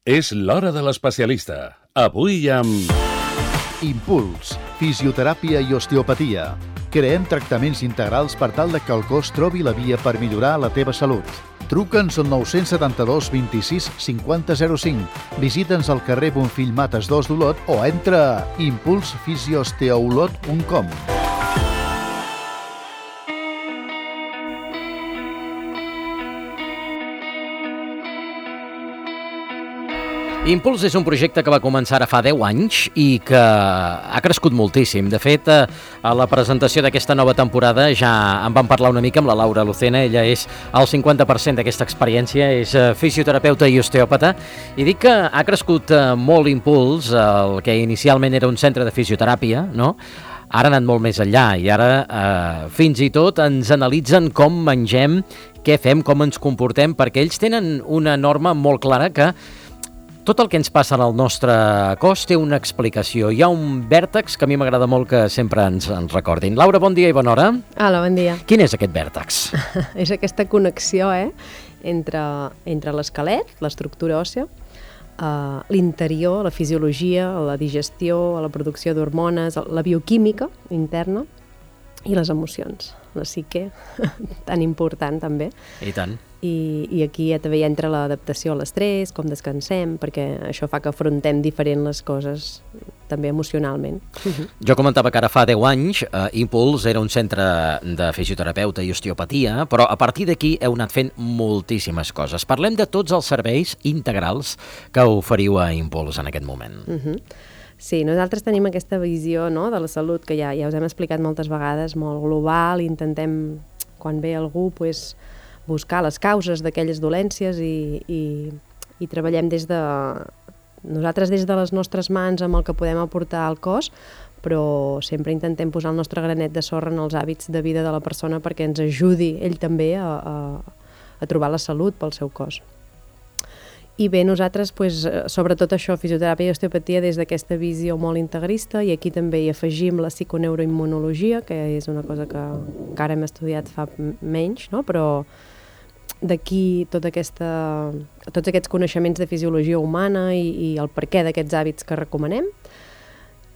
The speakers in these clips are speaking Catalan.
És l'hora de l'especialista. Avui amb... Impuls, fisioteràpia i osteopatia. Creem tractaments integrals per tal que el cos trobi la via per millorar la teva salut. Truca'ns al 972 26 50 05. Visita'ns al carrer Bonfill Mates 2 d'Olot o entra a impulsfisioosteoolot.com. Impuls és un projecte que va començar ara fa 10 anys i que ha crescut moltíssim. De fet, a la presentació d'aquesta nova temporada ja en vam parlar una mica amb la Laura Lucena. Ella és el 50% d'aquesta experiència, és fisioterapeuta i osteòpata. I dic que ha crescut molt Impuls, el que inicialment era un centre de fisioteràpia, no? Ara ha anat molt més enllà i ara fins i tot ens analitzen com mengem, què fem, com ens comportem, perquè ells tenen una norma molt clara que tot el que ens passa al nostre cos té una explicació. Hi ha un vèrtex que a mi m'agrada molt que sempre ens recordin. Laura, bon dia i bona hora. Hola, bon dia. Quin és aquest vèrtex? És aquesta connexió entre l'esquelet, l'estructura òssia, l'interior, la fisiologia, la digestió, la producció d'hormones, la bioquímica interna i les emocions. La psique, tan important també. I tant. I aquí ja també entra l'adaptació a l'estrès, com descansem, perquè això fa que afrontem diferent les coses, també emocionalment. Jo comentava que ara fa 10 anys Impuls era un centre de fisioterapeuta i osteopatia, però a partir d'aquí heu anat fent moltíssimes coses. Parlem de tots els serveis integrals que oferiu a Impuls en aquest moment. Sí, nosaltres tenim aquesta visió, no, de la salut que ja us hem explicat moltes vegades, molt global, intentem, quan ve algú, pues, buscar les causes d'aquelles dolències i treballem nosaltres des de les nostres mans amb el que podem aportar al cos, però sempre intentem posar el nostre granet de sorra en els hàbits de vida de la persona perquè ens ajudi ell també a trobar la salut pel seu cos. I bé, nosaltres, pues, sobretot això, fisioteràpia i osteopatia, des d'aquesta visió molt integrista, i aquí també hi afegim la psiconeuroimmunologia, que és una cosa que encara hem estudiat fa menys, no? Però d'aquí tots aquests coneixements de fisiologia humana i el perquè d'aquests hàbits que recomanem.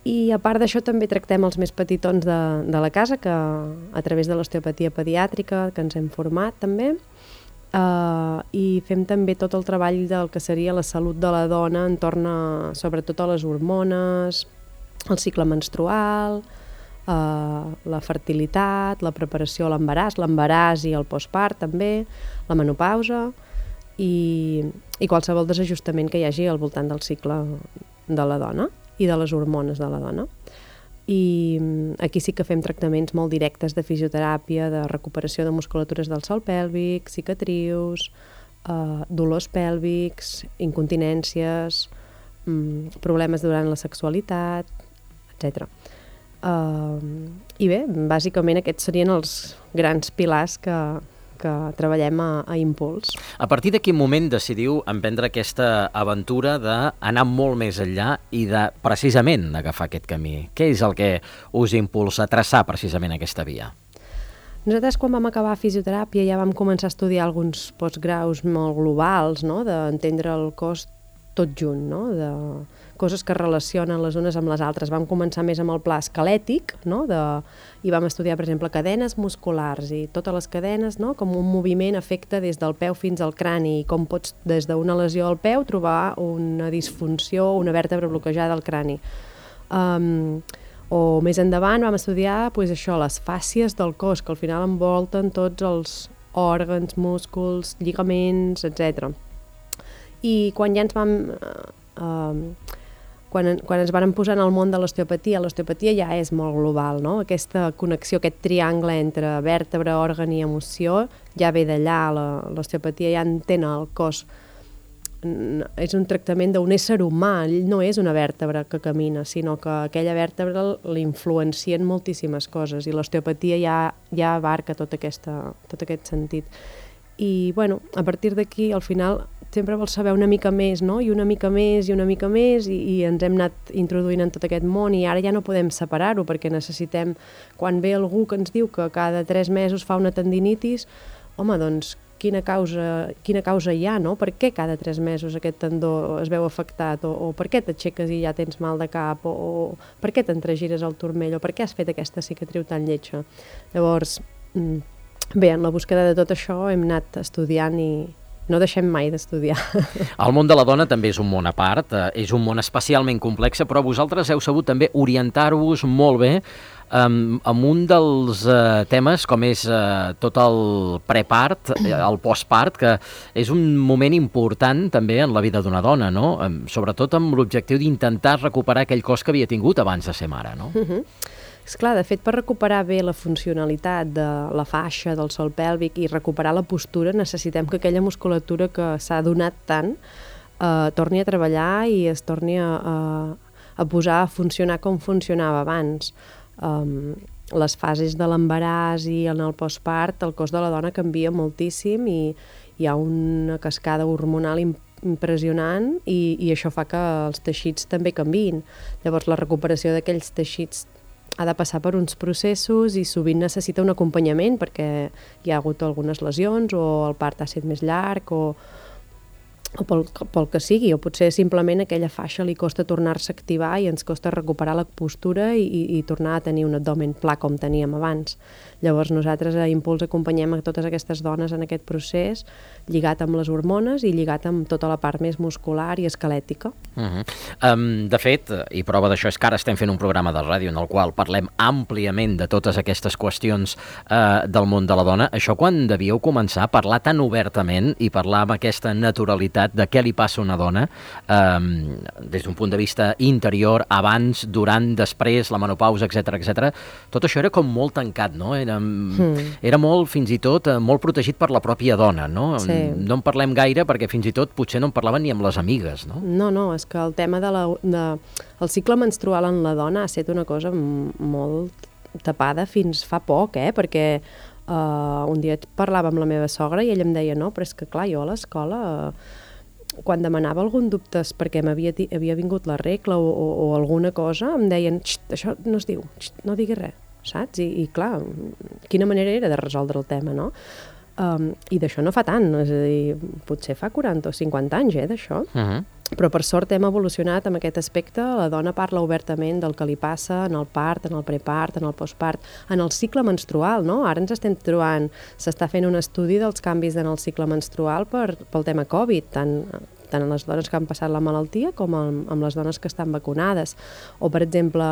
I a part d'això també tractem els més petitons de la casa, que a través de l'osteopatia pediàtrica, que ens hem format també, i fem també tot el treball del que seria la salut de la dona entorn sobretot a les hormones, el cicle menstrual, la fertilitat, la preparació a l'embaràs i el postpart també, la menopausa i qualsevol desajustament que hi hagi al voltant del cicle de la dona i de les hormones de la dona. I aquí sí que fem tractaments molt directes de fisioteràpia, de recuperació de musculatures del sòl pèlvic, cicatrius, dolors pèlvics, incontinències, problemes durant la sexualitat, etc. I bé, bàsicament aquests serien els grans pilars que treballem a Impuls. A partir de quin moment decidiu emprendre aquesta aventura d'anar molt més enllà i de precisament agafar aquest camí? Què és el que us impulsa a traçar precisament aquesta via? Nosaltres quan vam acabar fisioteràpia ja vam començar a estudiar alguns postgraus molt globals, no? D'entendre el cos tot junt, no? De coses que relacionen les unes amb les altres. Vam començar més amb el pla esquelètic, no? I vam estudiar, per exemple, cadenes musculars i totes les cadenes, no? Com un moviment afecta des del peu fins al crani i com pots, des d'una lesió al peu, trobar una disfunció, una vèrtebra bloquejada al crani. O més endavant vam estudiar pues, això, les fàscies del cos, que al final envolten tots els òrgans, músculs, lligaments, etc. I quan ja ens vam... Quan ens vam posar en el món de l'osteopatia ja és molt global, no? Aquesta connexió, aquest triangle entre vèrtebra, òrgan i emoció, ja ve d'allà, l'osteopatia ja entén el cos. És un tractament d'un ésser humà, ell no és una vèrtebra que camina, sinó que aquella vèrtebra l'influencien moltíssimes coses i l'osteopatia ja abarca tot aquest sentit. I, bueno, a partir d'aquí, al final, sempre vols saber una mica més, no? I una mica més, i ens hem anat introduint en tot aquest món i ara ja no podem separar-ho perquè necessitem, quan ve algú que ens diu que cada 3 mesos fa una tendinitis, home, doncs quina causa hi ha, no? Per què cada 3 mesos aquest tendó es veu afectat, o per què t'aixeques i ja tens mal de cap, o per què t'entregires el turmell, o per què has fet aquesta cicatriu tan lletja. Llavors, bé, en la búsqueda de tot això hem anat estudiant i no deixem mai d'estudiar. El món de la dona també és un món a part, és un món especialment complex, però vosaltres heu sabut també orientar-vos molt bé amb un dels temes com és tot el prepart, el postpart, que és un moment important també en la vida d'una dona, no? Sobretot amb l'objectiu d'intentar recuperar aquell cos que havia tingut abans de ser mare, no? Esclar, de fet, per recuperar bé la funcionalitat de la faixa, del sòl pèlvic i recuperar la postura, necessitem que aquella musculatura que s'ha donat tant torni a treballar i es torni a posar a funcionar com funcionava abans. Les fases de l'embaràs i en el postpart, el cos de la dona canvia moltíssim i hi ha una cascada hormonal impressionant i això fa que els teixits també canviïn. Llavors, la recuperació d'aquells teixits ha de passar per uns processos i sovint necessita un acompanyament perquè hi ha hagut algunes lesions o el part ha estat més llarg o pel que sigui, o potser simplement aquella faixa li costa tornar-se a activar i ens costa recuperar la postura i tornar a tenir un abdomen pla com teníem abans. Llavors nosaltres a Impuls acompanyem a totes aquestes dones en aquest procés lligat amb les hormones i lligat amb tota la part més muscular i esquelètica. De fet, i prova d'això és que ara estem fent un programa de ràdio en el qual parlem àmpliament de totes aquestes qüestions del món de la dona. Això quan devíeu començar a parlar tan obertament i parlar amb aquesta naturalitat de què li passa a una dona des d'un punt de vista interior, abans, durant, després, la menopausa, etc. Tot això era com molt tancat, no? Era molt, fins i tot, molt protegit per la pròpia dona, no? Sí. No en parlem gaire perquè fins i tot potser no en parlaven ni amb les amigues, no? No, és que el tema el cicle menstrual en la dona ha estat una cosa molt tapada fins fa poc, perquè un dia parlava amb la meva sogra i ella em deia, no, però és que clar, jo a l'escola quan demanava algun dubte perquè havia vingut la regla o alguna cosa, em deien, això no es diu, no diguis res, saps? I clar, quina manera era de resoldre el tema, no? I d'això no fa tant, és a dir, potser fa 40 o 50 anys, d'això. Però per sort hem evolucionat en aquest aspecte, la dona parla obertament del que li passa en el part, en el prepart, en el postpart, en el cicle menstrual, no? Ara ens estem trobant, s'està fent un estudi dels canvis en el cicle menstrual pel tema Covid, tant en les dones que han passat la malaltia com amb les dones que estan vacunades. O, per exemple,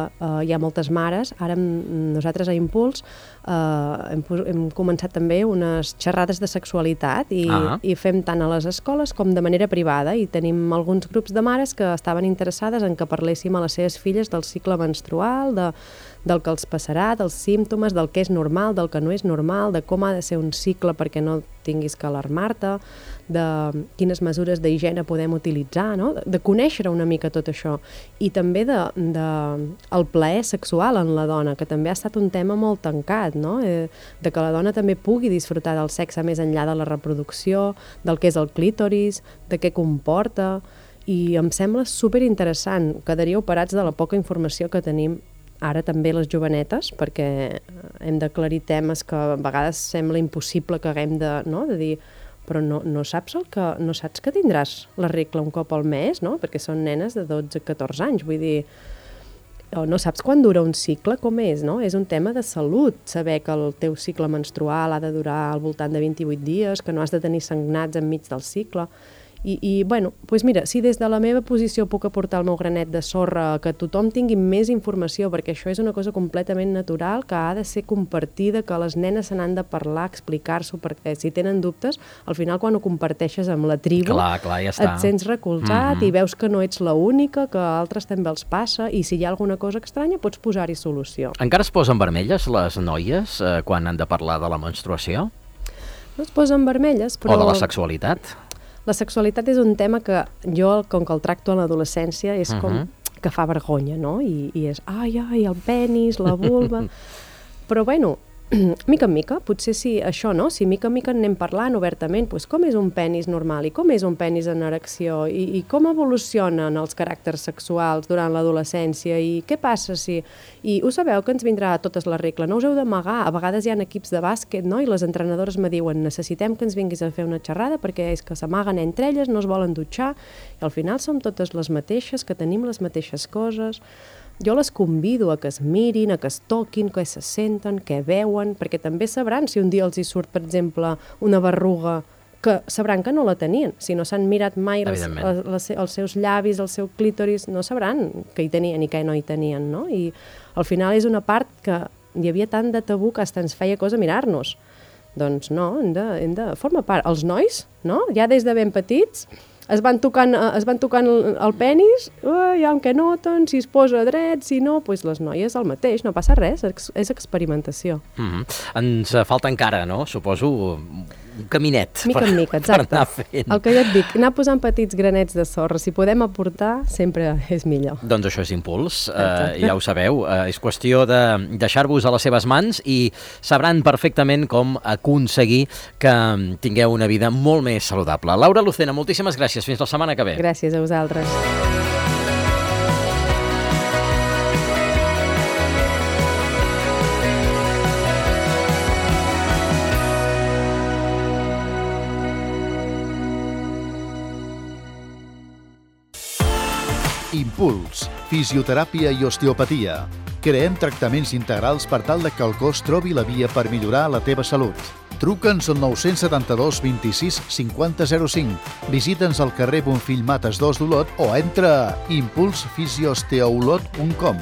hi ha moltes mares, ara nosaltres a Impuls hem començat també unes xerrades de sexualitat i fem tant a les escoles com de manera privada i tenim alguns grups de mares que estaven interessades en que parléssim a les seves filles del cicle menstrual, del que els passarà, dels símptomes, del que és normal, del que no és normal, de com ha de ser un cicle perquè no tinguis que alarmar-te, de quines mesures d'higiene podem utilitzar, no? De conèixer una mica tot això. I també el plaer sexual en la dona, que també ha estat un tema molt tancat, no? De que la dona també pugui disfrutar del sexe més enllà de la reproducció, del que és el clítoris, de què comporta, i em sembla superinteressant. Quedaríeu parats de la poca informació que tenim ara també les jovenetes, perquè hem d'aclarir temes que a vegades sembla impossible que haguem de dir, però no saps que tindràs la regla un cop al mes, no? Perquè són nenes de 12-14 anys, vull dir, no saps quan dura un cicle, com és, no? És un tema de salut, saber que el teu cicle menstrual ha de durar al voltant de 28 dies, que no has de tenir sagnats enmig del cicle. I bueno, doncs mira, si des de la meva posició puc aportar el meu granet de sorra que tothom tingui més informació, perquè això és una cosa completament natural, que ha de ser compartida, que les nenes se n'han de parlar, explicar-s'ho, perquè si tenen dubtes, al final quan ho comparteixes amb la tribu, clar, ja està. Et sents recolzat i veus que no ets l'única, que a altres també els passa, i si hi ha alguna cosa estranya pots posar-hi solució. Encara es posen vermelles les noies quan han de parlar de la menstruació? No es posen vermelles, però... O de la sexualitat? La sexualitat és un tema que jo, com que el tracto en l'adolescència, és com que fa vergonya, no? I és, ai, el penis, la vulva... Però, bueno, mica en mica, potser si això, no? Si mica en mica anem parlant obertament, doncs com és un penis normal i com és un penis en erecció i com evolucionen els caràcters sexuals durant l'adolescència i què passa si... I ho sabeu que ens vindrà a totes les regles, no us heu d'amagar. A vegades hi ha equips de bàsquet, no? I les entrenadores me diuen necessitem que ens vinguis a fer una xerrada perquè és que s'amaguen entre elles, no es volen dutxar i al final som totes les mateixes, que tenim les mateixes coses. Jo les convido a que es mirin, a que es toquin, que se senten, que veuen, perquè també sabran si un dia els hi surt, per exemple, una berruga, que sabran que no la tenien. Si no s'han mirat mai els seus llavis, el seu clítoris, no sabran que hi tenien i que no hi tenien, no? I al final és una part que hi havia tant de tabú que fins ens feia cosa mirar-nos. Doncs no, hem de formar part. Els nois, no? Ja des de ben petits, es van tocant el penis, ja en què noten, si es posa dret, si no, doncs les noies el mateix, no passa res, és experimentació. Ens falta encara, no? Suposo un caminet mica en mica, exacte. Per anar fent. El que jo et dic, anar posant petits granets de sorra, si podem aportar, sempre és millor. Doncs això és Impuls, ja ho sabeu, és qüestió de deixar-vos a les seves mans i sabran perfectament com aconseguir que tingueu una vida molt més saludable. Laura Lucena, moltíssimes gràcies, fins la setmana que ve. Gràcies a vosaltres. Impuls, fisioteràpia i osteopatia. Creem tractaments integrals per tal que el cos trobi la via per millorar la teva salut. Truca'ns al 972 26 50 05. Visita'ns al carrer Bonfill Mates 2 d'Olot o entra a impulsfisiosteolot.com.